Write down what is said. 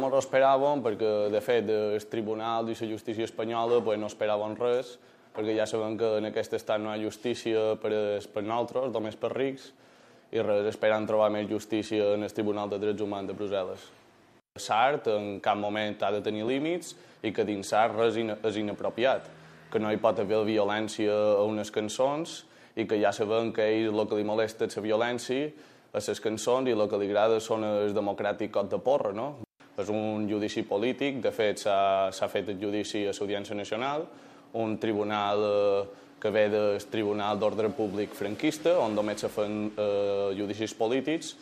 No ho esperàvem perquè, de fet, el Tribunal i la justícia espanyola no esperaven res, perquè ja sabem que en aquest estat no hi ha justícia per nosaltres, només per rics, i res, esperant trobar més justícia en el Tribunal de Drets Humans de Brussel·les. L'art en cap moment ha de tenir límits i que dins l'art res és inapropiat, que no hi pot haver violència a unes cançons i que ja sabem que a ell el que li molesta és la violència a les cançons i el que li agrada són els democràtics cot de porra, no? És un judici polític, de fet s'ha fet el judici a l'Audiència Nacional, un tribunal que ve del Tribunal d'Ordre Públic franquista, on només se fan judicis polítics,